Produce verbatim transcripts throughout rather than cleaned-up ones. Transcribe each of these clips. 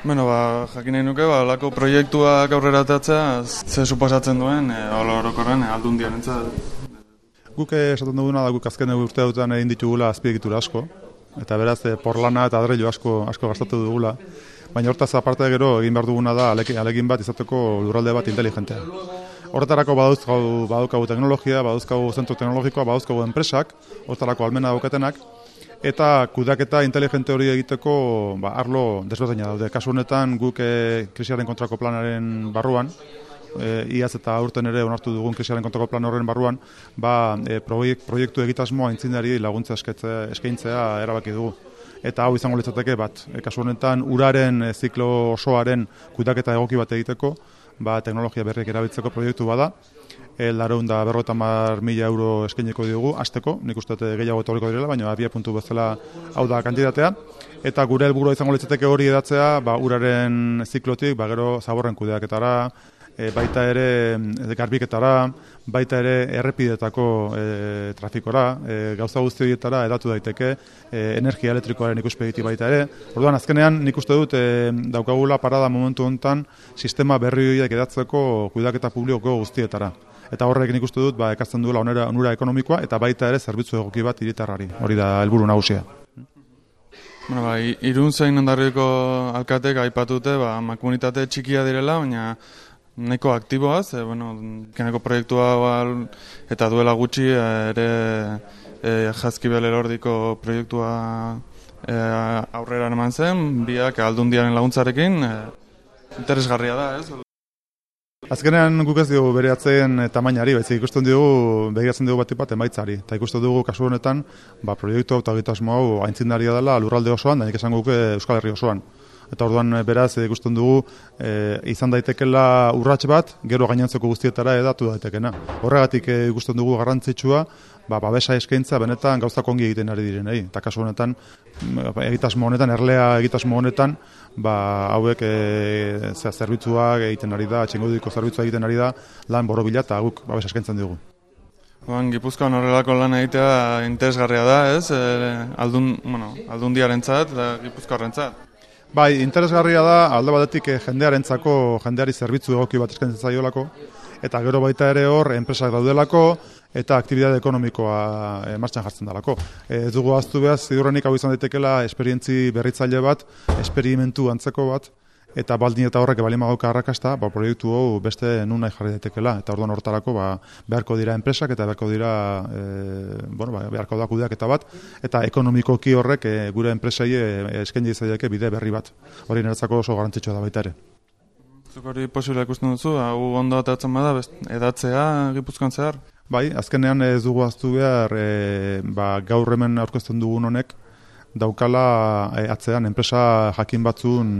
Bueno, ba, jakin nahi nuke, ba, lako proiektuak aurrera atatzea, ze suposatzen duen, e, orokorren e, Aldundiarentzat. Guk esaten duguna da guk azken urte dutan egin ditugula azpiegitura asko, eta beraz e, porlana eta adreilu asko, asko gastatu dugula, baina hortaz aparte gero egin behar duguna da alegin, alegin bat izateko lurralde bat inteligentea. Horretarako badauzkagu, badaukagu teknologia, badauzkagu zentro teknologikoa, badauzkagu enpresak, horretarako almena daukatenak, eta kudeaketa inteligente hori egiteko ba, arlo desberdina daude. Kasu honetan guk e, krisiaren kontrako planaren barruan, e, iaz eta aurten ere onartu dugun krisiaren kontrako plan horren barruan, ba, e, proiekt, proiektu egitasmoa aintzindari laguntza eskaintzea erabaki dugu. Eta hau izango litzateke bat, e, kasu honetan uraren e, ziklo osoaren kudeaketa egoki bat egiteko, ba, teknologia berriak erabiltzeko proiektu bada, e, lareun da berrogeita hamar mila euro eskainiko diogu, hasteko, nik uste gehiago etorriko direla, baina abia puntu bezala hau da kantitatea, eta gure helburua izango litzateke hori edatzea, ba, uraren ziklotik, ba, gero zaborren kudeaketara, e, baita ere garbiketara, baita ere errepidetako e, trafikora, e, gauza guzti horietara edatu daiteke, e, energia elektrikoaren ikuspegiti baita ere. Orduan, azkenean nik uste dut e, daukagula parada momentu honetan sistema berri horiek edatzeko kudeaketa publikoko guztietara. Eta horrek nik uste dut ba, ekartzen duela onera, onura ekonomikoa eta baita ere zerbitzu egoki bat hiritarrari. Hori da helburu nagusia. Bueno, ba, Irun zein Hondarribiko alkatek aipatute, ba, komunitate txikia direla, baina nahiko aktiboaz, e, bueno, keneko proiektua ba, eta duela gutxi ere e, Jaizkibel Elordiko proiektua e, aurrera eman zen, biak Aldundiaren laguntzarekin, e, interesgarria da, ez? Azkenean guk ez dugu bereatzen tamainari, baizik ikusten dugu, begiratzen dugu bat bat emaitzari. Eta ikusten dugu kasu honetan, ba, proiektu eta egitasmo hau aintzindaria dela lurralde osoan, da nik esan guke Euskal Herri osoan. Eta orduan beraz ikusten dugu e, izan daitekela urrats bat, gero gainontzeko guztietara edatu daitekena. Horregatik e, ikusten dugu garrantzitsua, ba, babesa eskaintza benetan gauzak ongi egiten ari direnei. Eta kasu honetan, egitasmo honetan, erlea egitasmo honetan, ba, hauek e, zerbitzuak egiten ari da, txingudiko zerbitzua egiten ari da, lan borobila eta guk babesa eskaintzen dugu. Oan, Gipuzkoan horrelako lan egitea interesgarria da, ez? E, aldun, bueno, Aldundiarentzat eta Gipuzkoarrentzat. Bai, interesgarria da, alde batetik jendearentzako, jendeari zerbitzu egoki bat eskaintzen zaiolako, eta gero baita ere hor, enpresak daudelako, eta aktibitate ekonomikoa e, martxan jartzen dalako. Ez dugu ahaztu behar, ziurrenik hau izan daitekela esperientzi berritzaile bat, esperimentu antzeko bat, eta baldin eta horrek balin badauka arrakasta, ba, proiektu hau beste nun nahi jarri daitekela, eta orduan hortarako ba, beharko dira enpresak, eta beharko dira, e, bueno, ba, beharko da kudeaketa bat, eta ekonomikoki horrek e, gure enpresei e, eskaini zaileke bide berri bat. Hori niretzako oso garrantzitsua da baita ere. Zuk hori posible ikusten duzu, hau ondo atatzen bada, edatzea Gipuzkoan zehar? Bai, azkenean ez dugu ahaztu behar, e, ba, gaur hemen aurkezten dugun honek, daukala e, atzean enpresa jakin batzun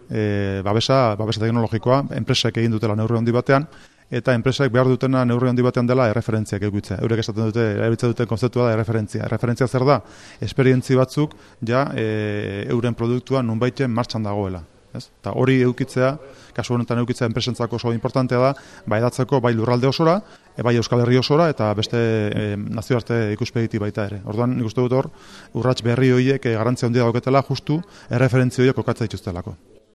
E, babesa, babesa teknologikoa, enpresak egin dutela neurri handi batean, eta enpresak behar dutena neurri handi batean dela erreferentziak egitzea. Eurek esaten dute, erabiltzen duten konzeptua da erreferentzia. Erreferentzia zer da? Esperientzi batzuk ja e, euren produktua nunbaiten martxan dagoela. Ez? Ta hori eukitzea, kasu honetan eukitzea enpresentzako oso importantea da, bai edatzeko bai lurralde osora, e, bai Euskal Herri osora, eta beste e, nazioarte ikuspegiti baita ere. Orduan nik uste dut hor, urrats berri horiek e, garrantzia handia dauketela justu erreferentzia horiek kokatza dituztelako.